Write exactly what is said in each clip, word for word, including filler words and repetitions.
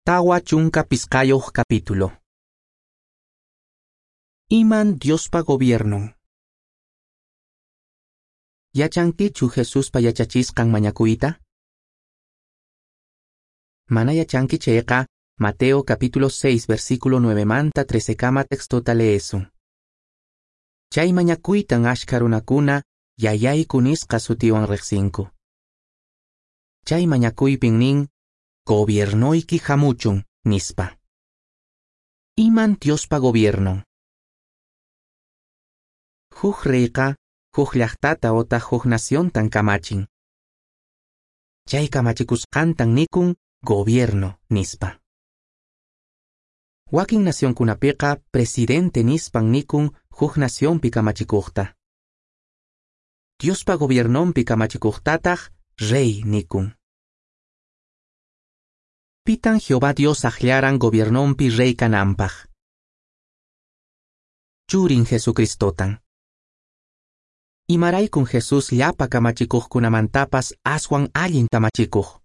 Tawa chunka pisqayuq capítulo. Iman Diospa gobiernon. Yachankichu Jesuspa yachachisqan mañakuyta? Mana yachanki chayqa, Mateo capítulo seis versículo nueve manta trece kama textota leesun. Chay mañakuytan ashkha runakuna yayayku nisqa sutiwan riqsinku. Chay mañakuypin nin, gobiernoyki hamuchun, nispa. Iman Diospa gobiernon. Huk reyqa huk llaqtata otaq huk naciontan kamachin. Chay kamachikusqantan nikun gobierno nispa. Wakin nacionkunapiqa presidente nispan nikun huk nacionpi kamachikuqta. Diospa gobiernonpi kamachikuqtataq rey nikun. Pitan Jehová Dios akllaran gobiernonpi rey kananpaq. Churin Jesucristotan. Imaraykun Jesús llapa kamachikuqkunamantapas aswan allin kamachikuq.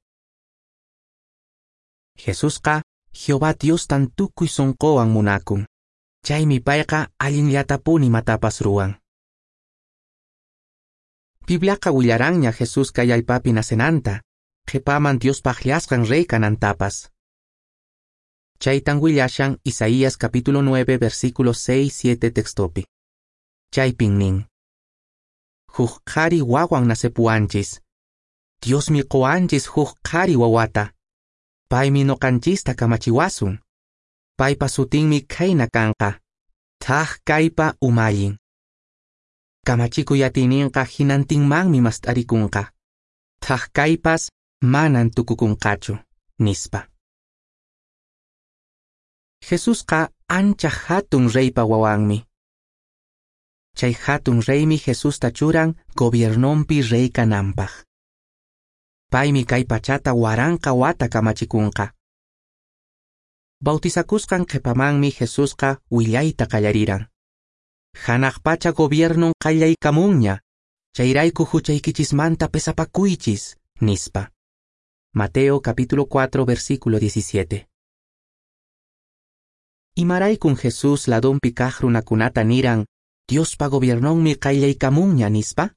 Jesusqa Jehová Diostan tukuy sunquwan munakun. Chaymi payqa allinllatapuni imatapas ruwan. Bibliaqa willaranña Jesús kay allpapi nacenanta, qhipaman Diospa akllasqan rey kanantapas. Chaytan willashan Isaías capítulo nueve versículo seis siete textopi. Chaypin nin: Huk qhari wawan nacepuwanchis. Diosmi quwanchis huk qhari wawata. Paymi noqanchista kamachiwasun. Paypa sutinmi khayna kanqa. Thaj kaypa umallin. Kamachikuy atiyninqa hinantinmanmi mast'arikunqa. Thaj kaypas manan tukukunqachu, nispa. Jesusqa ancha hatun reypa wawanmi. Chay hatun reymi Jesusta churan gobiernonpi rey kananpaq. Paymi kay pachata waranqa wata kamachikunqa. Bautizakusqan qhipamanmi Jesusqa willayta qallariran. Hanaq pacha gobiernon qallaykamunña, chayrayku huchaykichismanta pesapakuychis, nispa. Mateo capítulo cuatro versículo diecisiete. Imaraykun Jesús ladonpi kaq runakunata niran, Diospa gobiernonmi qallaykamunña, nispa?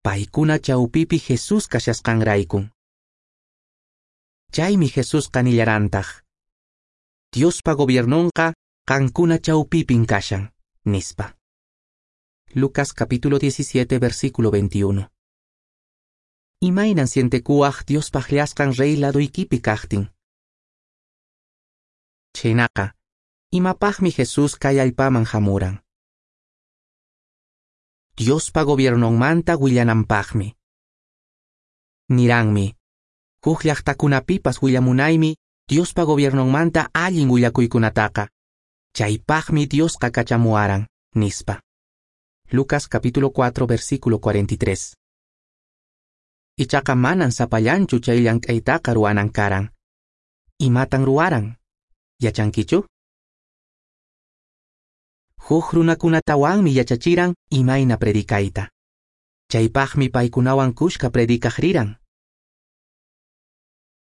Paykuna chawpipi Jesús kashasqanraykun. Chaymi Jesusqa nillarantaq, Diospa gobiernonqa qankuna chawpipin kashan, nispa. Lucas capítulo diecisiete versículo veintiuno. Imaynan sientekuwaq Diospa akllasqan rey laduykipi kaqtin. Chhaynaqa, imapaqmi Jesús kay allpaman hamuran? Diospa gobiernonmanta willananpaqmi. Niranmi, huk llaqtakunapipas willamunaymi Diospa gobiernonmanta allin willakuykunataqa. Chaypaqmi Diosqa kachamuwaran, nispa. Lucas capítulo cuatro versículo cuarenta y tres. Ichaqa manan sapallanchu chay llank'aytaqa ruwanan karan. Imatan ruwaran? Yachankichu? Huk runakunatawanmi yachachiran imayna predicayta. Chaypaqmi paykunawan kushka predicaq riran.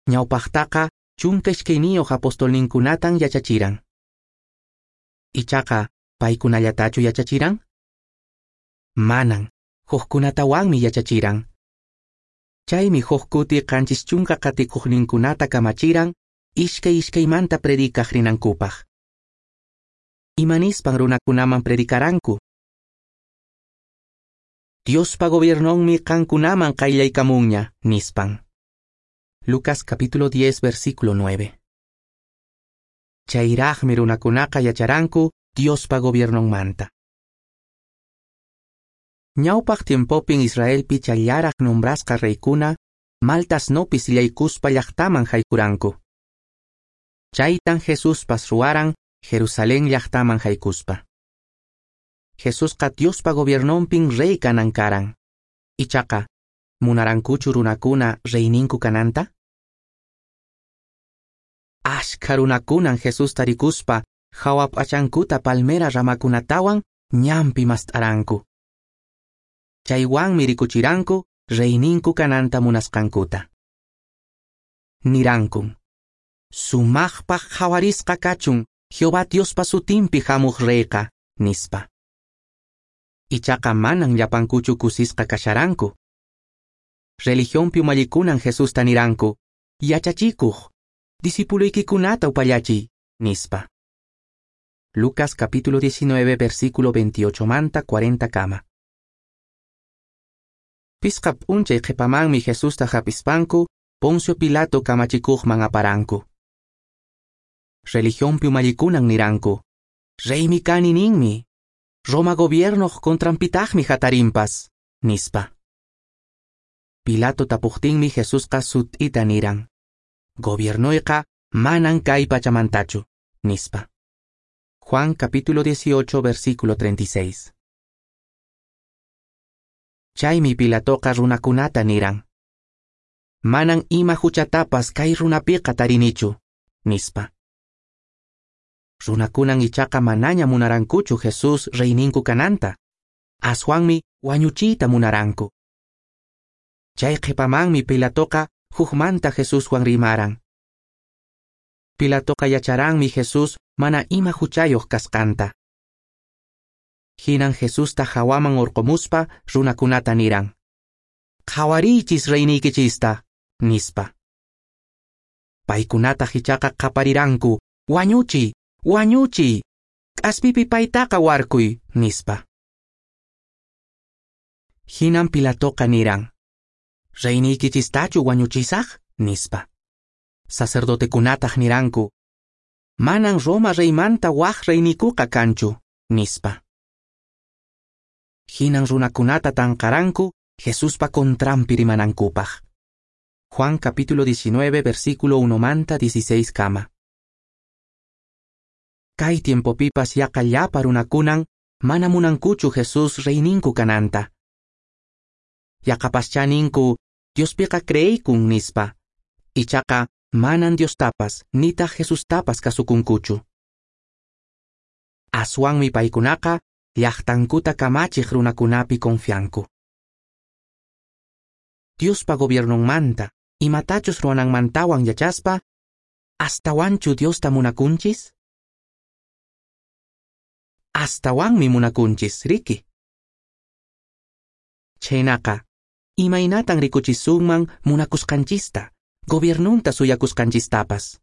Ñawpaqtaqa chunka iskayniyuq apostolninkunatan yachachiran. Ichaqa, paykunallatachu yachachiran? Manan, hukkunatawanmi yachachiran. Chaymi huk kuti qanchis chunka qatikuqninkunata kamachiran iskay iskaymanta predicaq rinankupaq. Imanispan runakunaman predicaranku? Diospa gobiernonmi qankunaman qayllaykamunña, nispan. Lucas capítulo diez versículo nueve. Chayraqmi runakunaqa yacharanku Diospa gobiernonmanta. Ñawpaq tiempopin Israelpi chayllaraq nombrasqa reykuna maltas nopi sillaykuspa llaqtaman haykuranku. Chaytan Jesuspas ruwaran Jerusalén llaqtaman haykuspa. Jesusqa Diospa gobiernonpin rey kanan karan. Ichaqa, munarankuchu runakuna reyninku kananta? Ashkha runakunan Jesusta rikuspa hawa p'achankuta palmera ramakunatawan ñanpi mast'aranku. Chaywanmi rikuchiranku reyninku kananta munasqankuta. Nirankun: Sumaqpaq qhawarisqa kachun Jehová Diospa sutinpi hamuq reyqa, nispa. Ichaqa manan llapankuchu kusisqa kasharanku. Religionpi umallikunan Jesusta niranku: Yachachikuq, discipuluykikunata upallachiy, nispa. Lucas capítulo diecinueve versículo veintiocho manta cuarenta kama. Pisqa p'unchay qhipamanmi Jesusta hapispanku Poncio Pilato kamachikuqman aparanku. Religionpi umallikunan niranku: Reymi kani ninmi, Roma gobiernoq contranpitaqmi hatarinpas, nispa. Pilato tapuqtinmi Jesusqa sut'ita niran: Gobiernoyqa manan kay pachamantachu, nispa. Juan capítulo dieciocho versículo treinta y seis. Chaymi Pilatoqa runakunata niran: Manan ima huchatapas kay runapiqa tarinichu, nispa. Runakunan ichaqa manaña munarankuchu Jesús reyninku kananta, aswanmi wañuchiyta munaranku. Chay qhipamanmi Pilatoqa hukmanta Jesuswan rimaran. Pilatoqa yacharanmi Jesús mana ima huchayuq kasqanta. Hinan Jesusta hawaman urqumuspa runakunata niran: Qhawariychis reyniykichista, nispa. Paykunataq ichaqa qapariranku: Wañuchiy, wañuchiy, k'aspipi paytaqa warkuy, nispa. Hinan Pilatoqa niran: Reyniykichistachu wañuchisaq, nispa. Sacerdotekunataq niranku: Manan Roma reymanta waq reynikuqa kanchu, nispa. Hinan runakunata tanqaranku Jesuspa contranpi rimanankupaq. Juan capítulo diecinueve versículo uno manta dieciséis kama. Kay tiempopipas yaqa llapa runakunan mana munankuchu Jesús reyninku kananta. Yaqapaschá ninku Diospiqa creeykun nispa. Ichaqa manan Diostapas nitaq Jesustapas kasukunkuchu. Aswanmi paykunaqa llaqtankuta kamachiq runakunapi confianku. Diospa gobiernonmanta imatachus ruwananmantawan yachaspa, ¿astawanchu Diosta munakunchis? Astawanmi munakunchis, riki. Chhaynaqa, imaynatan rikuchisunman munakusqanchista, gobiernunta suyakusqanchistapas?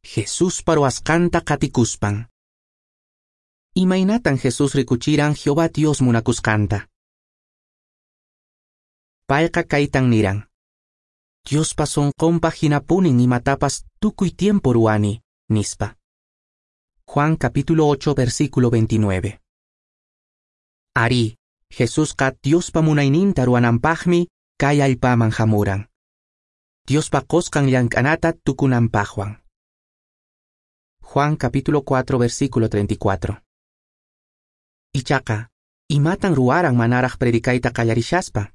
Jesuspa ruwasqanta qatikuspan. Imaynatan Jesús rikuchiran Jehová Dios munakusqanta? Payqa kaytan niran: Diospa sunqunpaq hinapunin imatapas tukuy tiempo ruwani, nispa. Juan capítulo ocho versículo veintinueve. Arí, Jesusqa Diospa munayninta ruwananpaqmi kay allpaman hamuran. Diospa qusqan llank'anata tukunanpaqwan. Juan capítulo cuatro versículo treinta y cuatro. Ichaqa, imatan ruwaran manaraq predicayta qallarishaspa?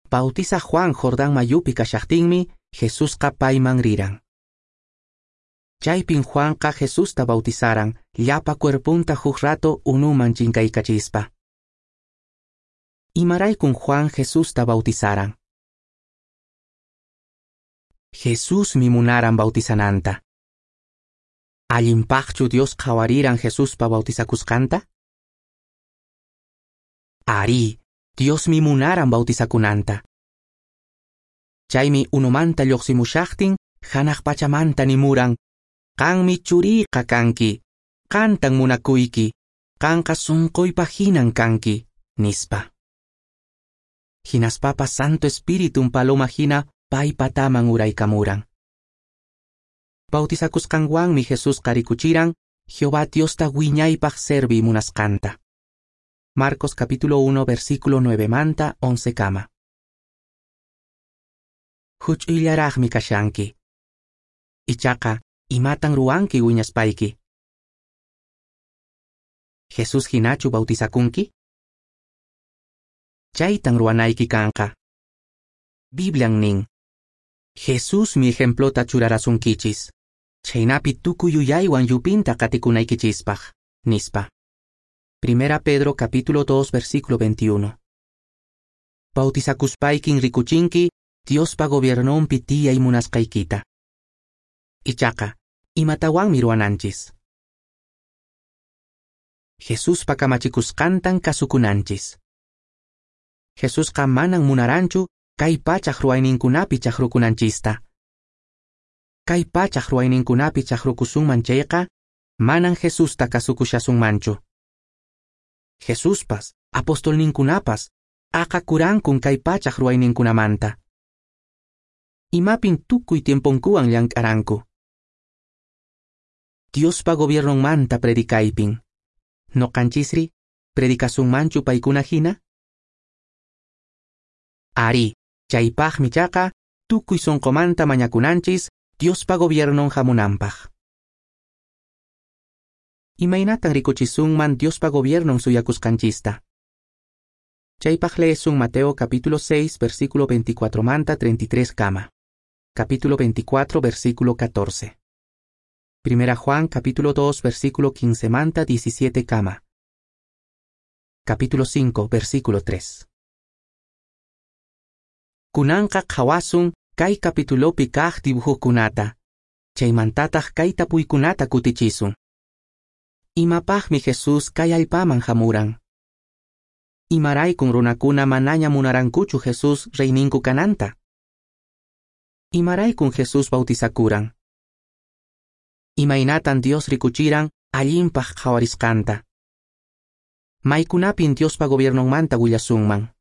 Bautiza Juan Jordán mayupi kashaqtinmi Jesusqa payman riran. Chaypin Juanqa Jesusta bautizaran llapa cuerpunta huk rato unuman chinkaykachispa. Imaraykun Juan Jesusta bautizaran? Jesusmi munaran bautizananta. Allinpaqchu Dios qhawariran Jesuspa bautizakusqanta? Arí, Diosmi munaran bautizakunanta. Chaymi unumanta lluqsimushaqtin hanaq pachamanta nimuran: Qanmi churiyqa kanki, qantan munakuyki, qanqa sunquypaq hinan kanki, nispa. Hinaspapas Santo Espíritun paloma hina paypataman uraykamuran. Bautizakusqanwanmi Jesusqa rikuchiran Jehová Diosta wiñaypaq serviy munasqanta. Marcos capítulo uno versículo nueve manta once kama. Huch'uyllaraqmi kashanki. Ichaqa, imatan ruwanki wiñaspayki? Jesús hinachu bautizakunki? Chaytan ruwanayki kanqa. Biblian nin: Jesusmi ejemplota churarasunkichis, chhaynapi tukuy yuyaywan yupinta qatikunaykichispaq, nispa. Primera Pedro capítulo dos versículo veintiuno. Bautizakuspaykin rikuchinki Diospa gobiernonpi tiyay munasqaykita. Ichaqa, imatawanmi ruwananchis? Jesuspa kamachikusqantan kasukunanchis. Jesusqa manan munaranchu kay pachaq ruwayninkunapi chaqrukunanchista. Kay pachaq ruwayninkunapi chaqrukusunman chayqa, manan Jesusta kasukushasunmanchu. Jesuspas, apostolninkunapas, aqakurankun kay pachaq ruwayninkunamanta. Imapin tukuy tiemponkuwan llank'aranku. Diospa gobiernonmanta predicaypin. Noqanchisri, predicasunmanchu paykuna hina? Ari, chaypaqmi chaqa, tukuy sunqumanta mañakunanchis Diospa gobiernon hamunanpaq. Imaynatan rikuchisunman Diospa gobiernon suyakusqanchista? Chaypaq leesun Mateo capítulo seis, versículo veinticuatro manta treinta y tres kama. Capítulo veinticuatro, versículo catorce. Primera Juan capítulo dos, versículo quince manta diecisiete kama. Capítulo cinco, versículo tres. Kunanqa qhawasun kay capitulopi kaq dibujokunata. Chaymantataq kay tapuykunata kutichisun. Imapaqmi Jesús kay allpaman hamuran? Imaraykun runakuna manaña munarankuchu Jesús reyninku kananta? Imaraykun Jesús bautizakuran? Imaynatan Dios rikuchiran allinpaq qhawarisqanta? Maykunapin Diospa gobiernonmanta willasunman?